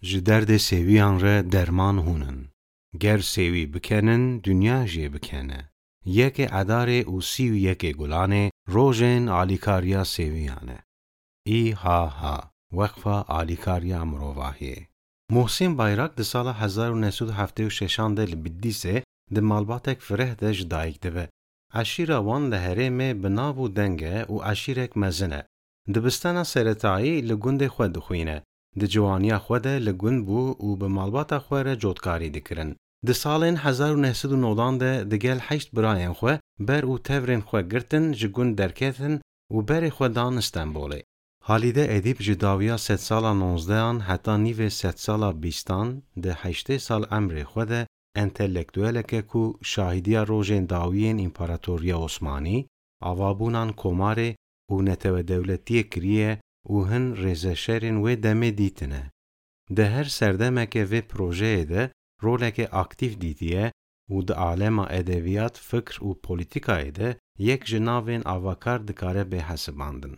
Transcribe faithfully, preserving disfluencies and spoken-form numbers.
Ji derdê sêwiyan re derman hûn in. Ger sêwî bikenin, dinya jê bikene. Yekê Edarê û sî û yekê Gulanê rojên alîkariya sêwiyan e. Î H H, Weqfa Alîkariya Mirovahiyê. Mohsîn Bayrak di sala hezar û neh sed û heftê û şeşan de li Bidlîsê di malbatek fireh de ji dayik dibe. Eşîra wan li herêmê bi nav û deng e û eşîrek mezin e. Dibistana seretayî li gundê xwe dixwîne. Di ciwaniya xwe de li gund bû û bi malbata xwe re cotkarî dikirin. Di salên hezar û neh sed û nodan de digel heşt birayên xwe ber û tevrên xwe girtin, ji gund derketin û berê xwe dan Stenbolê. Halîde Edîb ji dawiya sedsala nozdehan heta nîvê sedsala bîstan di heştê sal emrê xwe de entelektueleke ku şahîdiya rojên dawiyên Împaratoriya Osmanî, avabûnan komarê û netewedewletiyê kiriye û hin rêzeşerên wê demê dîtine. Di her serdemeke vê projeyê de roleke aktîf dîtiye û di alema edebiyat, fikr û polîtîkayê de yek ji navên avakar dikare bê hesibandin.